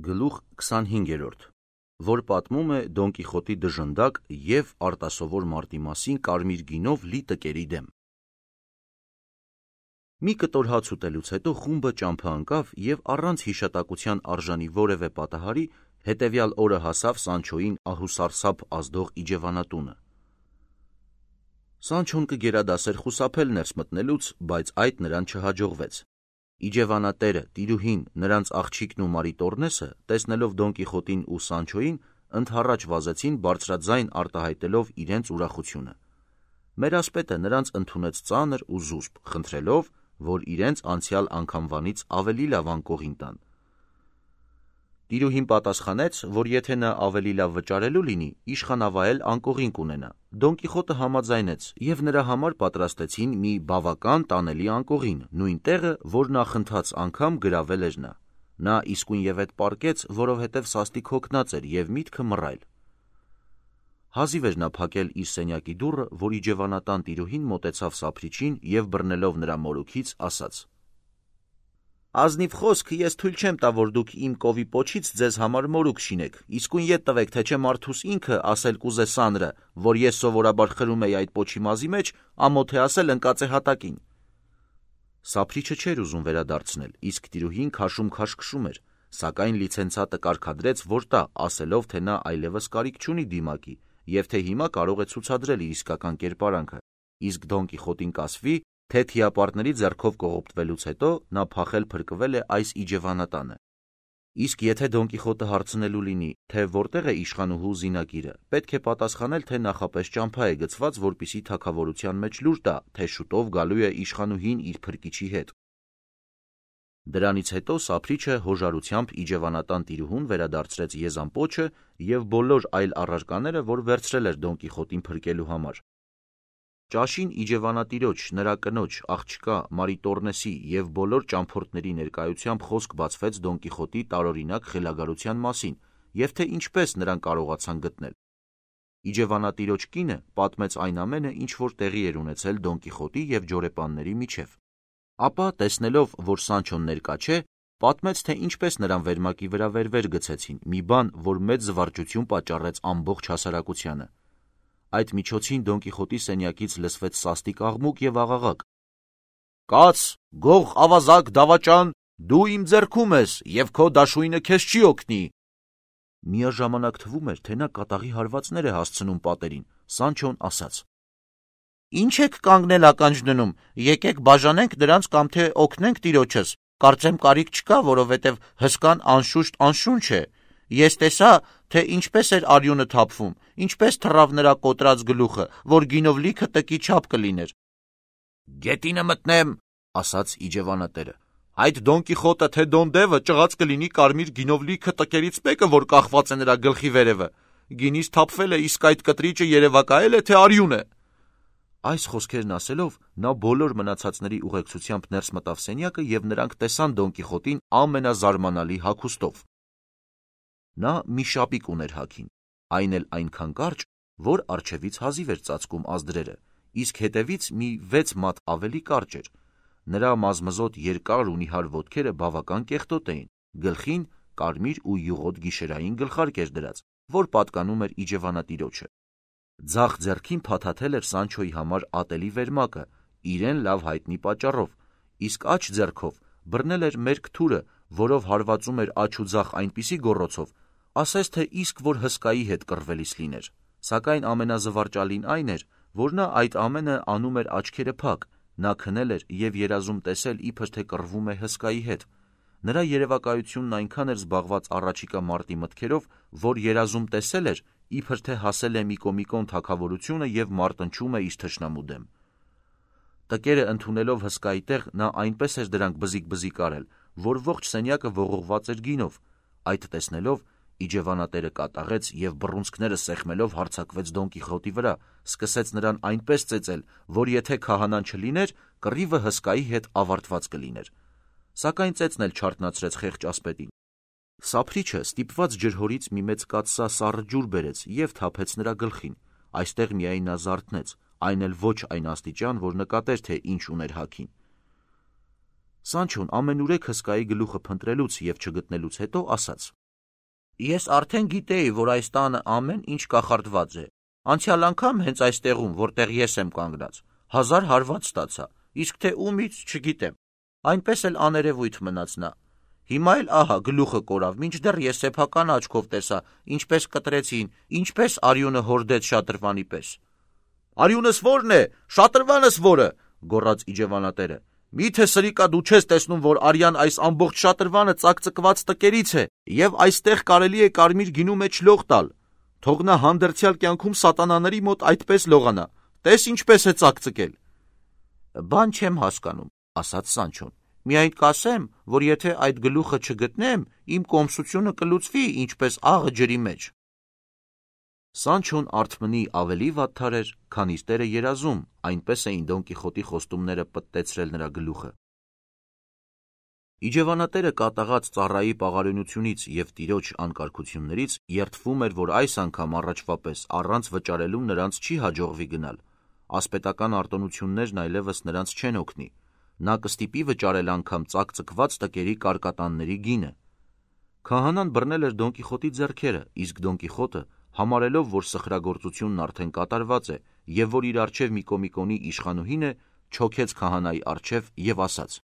Գլուխ 25, որ պատմում է Դոն Կիխոտի դժնդակ և արտասովոր մարտի մասին կարմիր գինով լի տկերի դեմ։ Մի կտոր հաց ուտելուց հետո խումբը ճամփա ընկավ և առանց հիշատակության արժանի որևէ պատահարի հետևյալ օրը հասավ Սանչոյին ահուսարսափ ազդող իջևանատունը։ Սանչոն կգերադասեր խուսափել ներս մտնելուց, բայց այդ նրան չհաջողվեց։ Իջևանատերը, տիրուհին, նրանց աղջիկն ու Մարիտոռնեսը, տեսնելով Դոն Կիխոտին ու Սանչոյին, ընդառաջ վազեցին բարձրաձայն արտահայտելով իրենց ուրախությունը։ Մերասպետը նրանց ընդունեց ծանր ու զուսպ, խնդրելով, որ իրենց անցյալ անգամվանից ավելի լավ անկողին տան։ Տիրուհին պատասխանեց, որ եթե նա ավելի լավ վճարելու լինի, իշխանավայել անկողին կունենա։ Դոն Կիխոտը համաձայնեց, և նրա համար պատրաստեցին մի բավական տանելի անկողին, նույն տեղը, որ նախընթաց անգամ գրավել էր նա։ Նա իսկույնևեթ պառկեց, որովհետև սաստիկ հոգնած էր և միտքը մռայլ։ Հազիվ էր նա փակել իր սենյակի դուռը, որ իջևանատան տիրուհին մոտեցավ Սափրիչին և բռնելով նրա մորուքից ասաց. «Ազնիվ խոսք, ես թույլ չեմ տա, որ դուք իմ կովի պոչից ձեզ համար մորուք շինեք, իսկույն ետ տվեք, թե չէ մարդուս ինքը ասել կուզե սանրը, որ ես սովորաբար խրում էի այդ պոչի մազի մեջ, ամոթ է ասել ընկած է հատակին»։ Սափրիչը չէր ուզում վերադարձնել, իսկ տիրուհին քաշում էր, սակայն լիցենցատը կարգադրեց, որ տա, ասելով, թե նա այլևս կարիք չունի դիմակի, և թե հիմա կարող է ցուցադրել իր իսկական կերպարանքը, իսկ Դոն Կիխոտին կասվի, թե թիապարտների ձեռքով կողոպտվելուց հետո նա փախել փրկվել է այս իջևանատանը։ Իսկ եթե Դոն Կիխոտը հարցնելու լինի, թե որտեղ է իշխանուհու զինակիրը, պետք է պատասխանել, թե նախապես ճամփա է գցված, որպեսզի թագավորության մեջ լուր տա, թե շուտով գալու է իշխանուհին իր փրկիչի հետ։ Դրանից հետո Սափրիչը հոժարությամբ իջևանատան տիրուհուն վերադարձրեց Եզան պոչը և բոլոր այլ առարկաները, որ վերցրել էր Դոն Կիխոտին փրկելու համար։ Ճաշին իջևանատիրոջ, նրա կնոջ, աղջկա, Մարիտոռնեսի և բոլոր ճամփորդների ներկայությամբ խոսք բացվեց Դոն Կիխոտի տարօրինակ խելագարության մասին և թե ինչպես նրան կարողացան գտնել։ Իջևանատիրոջ կինը պատմեց այն ամենը, ինչ որ տեղի էր ունեցել Դոն Կիխոտի և ջորեպանների միջև։ Ապա, տեսնելով, որ Սանչոն ներկա չէ, պատմեց, թե ինչպես նրան վերմակի վրա վեր գցեցին, մի բան, որ մեծ զվարճություն պատճառեց ամբողջ հասարակությանը։ Այդ միջոցին Դոն Կիխոտի սենյակից լսվեց սաստիկ աղմուկ և աղաղակ. «Կաց, գող, ավազակ, դավաճան, դու իմ ձեռքում ես, և քո դաշույնը քեզ չի օգնի»։ Միաժամանակ թվում էր, թե նա կատաղի հարվածներ է հասցնում պատերին։ Սանչոն ասաց. «Ինչ եք կանգնել ականջ դնում, եկեք բաժանենք նրանց կամ թե օգնենք տիրոջս, կարծեմ կարիք չկա, որովհետև հսկան անշուշտ անշունչ է։ Ես տեսա, թե ինչպես էր արյունը թափվում, ինչպես թռավ նրա կոտրած գլուխը, որ գինով լիքը տկի չափ կլիներ»։ «Գետինը մտնեմ», ասաց իջևանատերը։ «Այդ Դոն Կիխոտը, թե Դոն Դևը ճղած կլինի կարմիր գինով լիքը տկերից մեկը, որ կախված է նրա գլխի վերևը։ Գինից թափվել է, իսկ այդ կտրիճը երևակայել է, թե արյուն է»։ Այս խոսքերն ասելով, նա բոլոր մնացածների ուղեկցությամբ ներս մտավ սենյակը և նրանք տեսան Դոն Կիխոտին ամենազարմանալի հագուստով։ Նա մի շապիկ ուներ հագին, այն էլ այնքան կարճ, որ առջևից հազիվ էր ծածկում ազդրերը, իսկ հետևից մի 6 մատ ավելի կարճ էր։ Նրա մազմզոտ երկար ու նիհար ոտքերը բավական կեղտոտ էին, գլխին կարմիր ու յուղոտ գիշերային գլխարկ էր դրած, որ պատկանում էր իջևանատիրոջը։ Ձախ ձեռքին փաթաթել էր Սանչոյի համար ատելի վերմակը, իրեն լավ հայտնի պատճառով, իսկ աջ ձեռքով բռնել էր մերկ թուրը, որով հարվածում էր աջ ու ձախ այնպիսի գոռոցով, ասես թե իսկ որ հսկայի հետ կռվելիս լիներ։ Սակայն ամենազվարճալին այն էր, որ նա այդ ամենը անում էր աչքերը փակ, նա քնել էր և երազում տեսել, իբր թե կռվում է հսկայի հետ։ Նրա երևակայությունն այնքան էր զբաղված առաջիկա մարտի մտքերով, որ երազում տեսել էր, իբր թե հասել է Միկոմիկոն թագավորությունը և մարտնչում է իր թշնամու դեմ։ Տկերը ընդունելով հսկայի տեղ, նա այնպես էր դրանք բզիկ արել, որ ողջ սենյակը ողողված էր գինով։ Այդ տեսնելով, իջևանատերը կատաղեց և բռունցքները սեղմելով հարձակվեց Դոն Կիխոտի վրա, սկսեց նրան այնպես ծեծել, որ եթե քահանան չլիներ, կռիվը հսկայի հետ ավարտված կլիներ։ Սակայն ծեծն էլ չարթնացրեց խեղճ ասպետին։ Սափրիչը ստիպված ջրհորից մի մեծ կաթսա սառը ջուր բերեց և թափեց նրա գլխին։ Այստեղ միայն նա զարթնեց, այն էլ ոչ այն աստիճան, որ նկատեր, թե ինչ ուներ հագին։ Սանչոն ամենուրեք հսկայի գլուխը փնտրելուց և չգտնելուց հետո ասաց. Ես արդեն գիտեի, որ այս տանը ամեն ինչ կախարդված է։ Անցյալ անգամ հենց այստեղում, որտեղ ես եմ կանգնած, 1000 հարված ստացա, իսկ թե ումից չգիտեմ։ Այնպես էլ աներևույթ մնաց նա։ Հիմա էլ ահա գլուխը կորավ, մինչդեռ ես սեփական աչքով տեսա, ինչպես կտրեցին, ինչպես արյունը հորդեց շատրվանի պես։ Արյունս ո՞րն է, շատրվանս ո՞րը, գոռաց իջևանատերը։ Միթե սրիկա դու չես տեսնում, որ արյան այս ամբողջ շատրվանը ծակծկված տկերից է, եւ այստեղ կարելի է կարմիր գինու մեջ լող տալ։ Թող նա հանդերձյալ կյանքում սատանաների մոտ այդպես լողանա։ Տես ինչպես է ծակծկել։ Բան չեմ հասկանում, ասաց Սանչոն։ Միայն կասեմ, որ եթե այդ գլուխը չգտնեմ, իմ կոմսությունը կլուծվի, ինչպես աղը ջրի մեջ։ Սանչոն արթմնի ավելի վատթար էր, քան իր տերը երազում, այնպես էին Դոն Կիխոտի խոստումները պտտեցրել նրա գլուխը։ Իջևանատերը կատաղած ծառայի պաղարունությունից և տիրոջ անկարգություններից երդվում էր, որ այս անգամ առաջվա պես առանց վճարելու նրանց չի հաջողվի գնալ։ Ասպետական արտոնություններն այլևս նրանց չեն օգնի։ Նա կստիպի վճարել անգամ ծակծկված տկերի կարկատանների գինը։ Քահանան բռնել էր Դոն Կիխոտի ձեռքերը, իսկ Դոն Կիխոտը, համարելով, որ սխրագործությունն արդեն կատարված է և որ իր առջև Միկոմիկոնի իշխանուհին է, չոքեց քահանայի առջև և ասաց.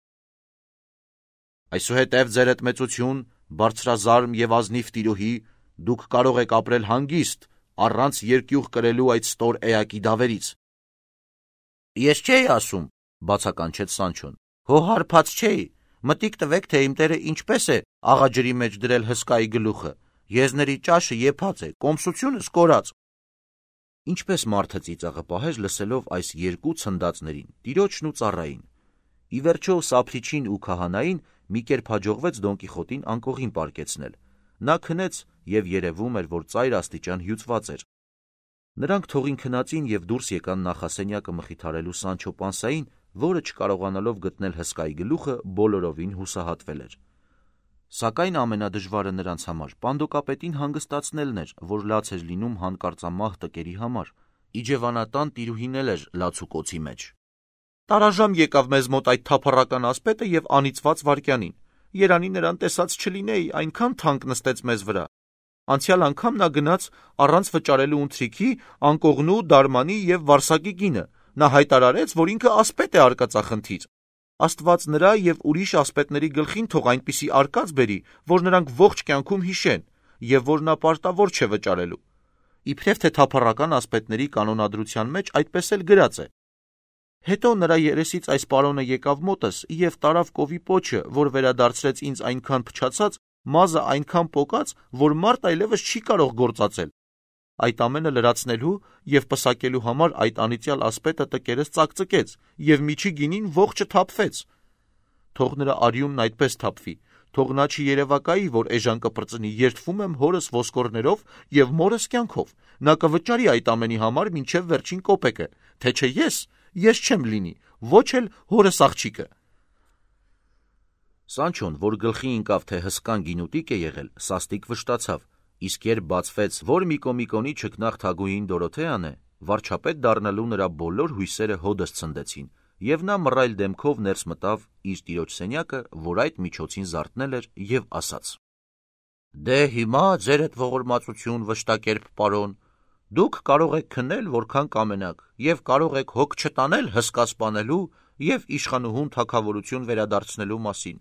Այսուհետև ձերդ մեծություն, բարձրազարմ և ազնիվ տիրոհի, դուք կարող եք ապրել հանգիստ, առանց երկյուղ կրելու այդ ստոր էակի դավերից։ Ես չէի ասում, բացականչեց Սանչոն, հո հարբած չէի, մտիկ տվեք, թե իմ տերը ինչպես է աղաջրի մեջ դրել հսկայի գլուխը, եզների ճաշը եփած է, կոմսությունս կորած։ Ինչպես մարդը ծիծաղը պահեր լսելով այս երկու ցնդածներին, տիրոջն ու ծառային։ Ի վերջո Սափրիչին ու քահանային մի կերպ հաջողվեց Դոն Կիխոտին անկողին պարկեցնել։ Նա քնեց և երևում էր, որ ծայր աստիճան հյուծված էր։ Նրանք թողին քնածին և դուրս եկան նախասենյակը մխիթարելու Սանչո Պանսային, որը չկարողանալով գտնել հսկայի գլուխը, բոլորովին հուսահատվել էր։ Սակայն ամենադժվարը նրանց համար պանդոկապետին հանգստացնելն էր, որ լաց էր լինում հանկարծամահ տկերի համար։ Իջևանատան տիրուհին էլ էր լացուկոցի մեջ։ Տարաժամ եկավ մեզ մոտ այդ թափառական ասպետը և անիծված վայրկյանին։ Երանի նրան տեսած չլինեի, այնքան թանկ նստեց մեզ վրա։ Անցյալ անգամ նա գնաց առանց վճարելու ընթրիքի, անկողնու, դարմանի և վարսակի գինը։ Նա հայտարարեց, որ ինքը ասպետ է արկածախնդիր։ Աստված նրա և ուրիշ ասպետների գլխին թող այնպիսի արկած բերի, որ նրանք ողջ կյանքում հիշեն, և որ նա պարտավոր չէ վճարելու։ Իբրև թե թափառական ասպետների կանոնադրության մեջ այդպես էլ գրած է։ Հետո նրա երեսից այս պարոնը եկավ մոտս և տարավ կովի պոչը, որ վերադարձրեց ինձ այնքան փչացած, մազը այնքան պոկած, որ մարդ այլևս չի կարող գործածել։ Այդ ամենը լրացնելու և պսակելու համար այդ անիծյալ ասպետը տկերս ծակծկեց և միջի գինին ողջը թափվեց։ Թող նրա արյունն այդպես թափվի, թող նա չերևակայի, որ էժան կպրծնի, երդվում եմ հորս ոսկորներով և մորս կյանքով, նա կվճարի այդ ամենի համար մինչև վերջին կոպեկը, թե չէ ես չեմ լինի, ոչ էլ հորս աղջիկը։ Սանչոն, որ գլխի ընկավ, թե հսկան գինուտիկ է եղել, սաստիկ վշտացավ, իսկ երբ բացվեց, որ Միկոմիկոնի չքնաղ թագուհին Դորոթեան է, վարչապետ դառնալու նրա բոլոր հույսերը հոդս ցնդեցին, և նա մռայլ դեմքով ներս մտավ իր տիրոջ սենյակը, որ այդ միջոցին զարթնել էր, և ասաց. Դե հիմա ձերդ ողորմածություն, վշտակերպ պարոն, դուք կարող եք քնել որքան կամենաք, և կարող եք հոգ չտանել հսկա սպանելու և իշխանուհուն թագավորություն վերադարձնելու մասին։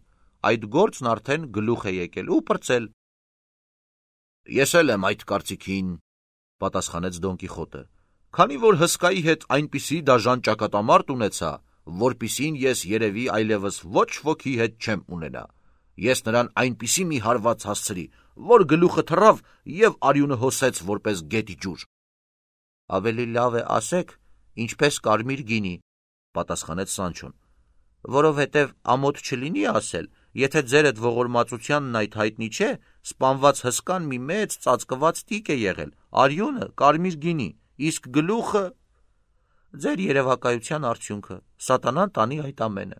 Այդ գործն արդեն գլուխ է եկել ու պրծել։ Ես էլ եմ այդ կարծիքին, պատասխանեց Դոն Կիխոտը, քանի որ հսկայի հետ այնպիսի դաժան ճակատամարտ ունեցա, որպիսին ես երևի այլևս ոչ ոքի հետ չեմ ունենա։ Ես նրան այնպիսի մի հարված հասցրի, որ գլուխը թռավ և արյունը հոսեց որպես գետի ջուր։ Ավելի լավ է ասեք, ինչպես կարմիր գինի, պատասխանեց Սանչոն, որովհետև ամոթ չլինի ասել, եթե ձերդ ողորմածությանն այդ հայտնի չէ, սպանված հսկան մի մեծ ծածկված տիկ է եղել, արյունը կարմիր գինի, իսկ գլուխը ձեր երևակայության արդյունքը, սատանան տանի այդ ամենը։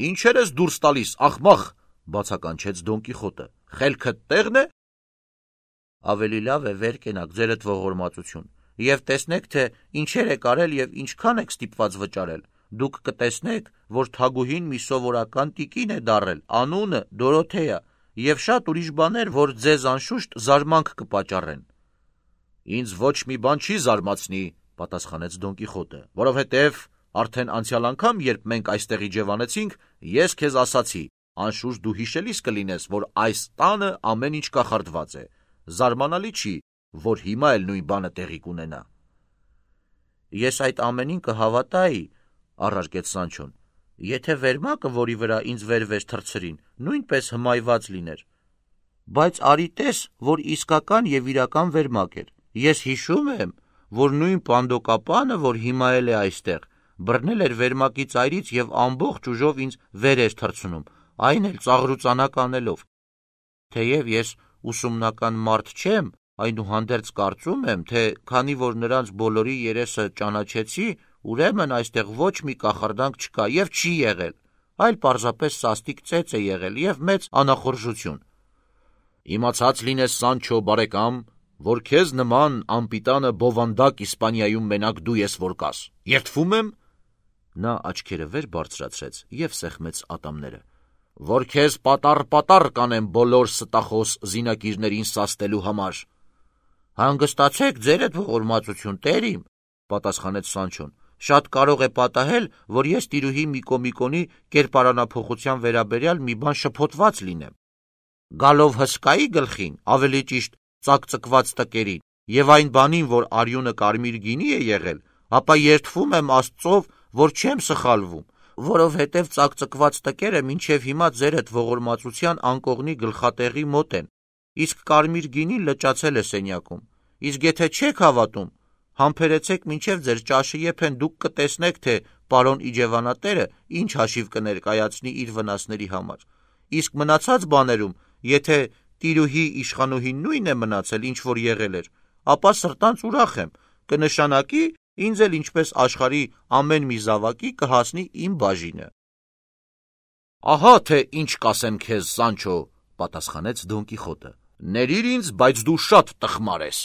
Ինչեր ես դուրս տալիս, աղմախ, բացականչեց Դոն Կիխոտը, խելքդ տեղն է։ Ավելի լավ է վեր կենաք ձերդ ողորմածություն, և տեսնեք, թե ինչեր եք արել և ինչքան եք ստիպված վճարել։ Դուք կտեսնեք, որ թագուհին մի սովորական տիկին է դառել, անունը Դորոթեա, եւ շատ ուրիշ բաներ, որ ձեզ անշուշտ զարմանք կպատճառեն։ Ինձ ոչ մի բան չի զարմացնի, պատասխանեց Դոն Կիխոտը, որովհետև արդեն անցյալ անգամ, երբ մենք այստեղ իջևանեցինք, ես քեզ ասացի, անշուշտ դու հիշելիս կլինես, որ այս տանը ամեն ինչ կախարդված է։ Զարմանալի չի, որ հիմա էլ նույն բանը տեղի կունենա։ Ես այդ ամենին կհավատայի, առարկեց Սանչոն, եթե վերմակը, որի վրա ինձ վերվեց թռցրին, նույնպես հմայված լիներ։ Բայց արի տես, որ իսկական եւ իրական վերմակ էր։ Ես հիշում եմ, որ նույն պանդոկապանը, որ հիմա էլ է այստեղ, բռնել էր վերմակի ծայրից եւ ամբողջ ուժով ինձ վեր էր թռցնում, այն էլ ծաղրուծանակ անելով։ Թեև ես ուսումնական մարդ չեմ, այնուհանդերձ կարծում եմ, թե քանի որ նրանց բոլորի երեսը ճանաչեցի, ուրեմն այստեղ ոչ մի կախարդանք չկա եւ չի եղել, այլ պարզապես սաստիկ ծեծ է եղել եւ մեծ անախորժություն։ Իմացած լինես, Սանչո բարեկամ, որ քեզ նման անպիտանը բովանդակ Իսպանիայում մենակ դու ես որ կաս։ Երդվում եմ, նա աչքերը վեր բարձրացրեց եւ սեղմեց ատամները, որ քեզ պատառ կանեմ բոլոր ստախոս զինակիրներին սաստելու համար։ Հանգստացեք ձերդ ողորմածություն, տերիմ, պատասխանեց Սանչոն, շատ կարող է պատահել, որ ես տիրուհի Միկոմիկոնի կերպարանափոխության վերաբերյալ մի բան շփոթված լինեմ։ Գալով հսկայի գլխին, ավելի ճիշտ ծակծկված տկերին, եւ այն բանին, որ արյունը կարմիր գինի է եղել, ապա երդվում եմ Աստծով, որ չեմ սխալվում, որովհետև ծակծկված տկերը մինչև հիմա ձերդ ողորմածության անկողնի գլխատեղի մոտ են, իսկ կարմիր գինին լճացել է սենյակում։ Իսկ եթե չեք հավատում, համբերեցեք մինչև ձեր ճաշը եփեն, դուք կտեսնեք, թե պարոն իջևանատերը ինչ հաշիվ կներկայացնի իր վնասների համար։ Իսկ մնացած բաներում, եթե տիրուհի իշխանուհին նույնն է մնացել, ինչ որ եղել էր, ապա սրտանց ուրախ եմ, կնշանակի ինձ էլ ինչպես աշխարհի ամեն մի զավակի կհասնի իմ բաժինը։ Ահա թե ինչ կասեմ քեզ, Սանչո, պատասխանեց Դոն Կիխոտը։ Ներիր ինձ, բայց դու շատ տխմար ես։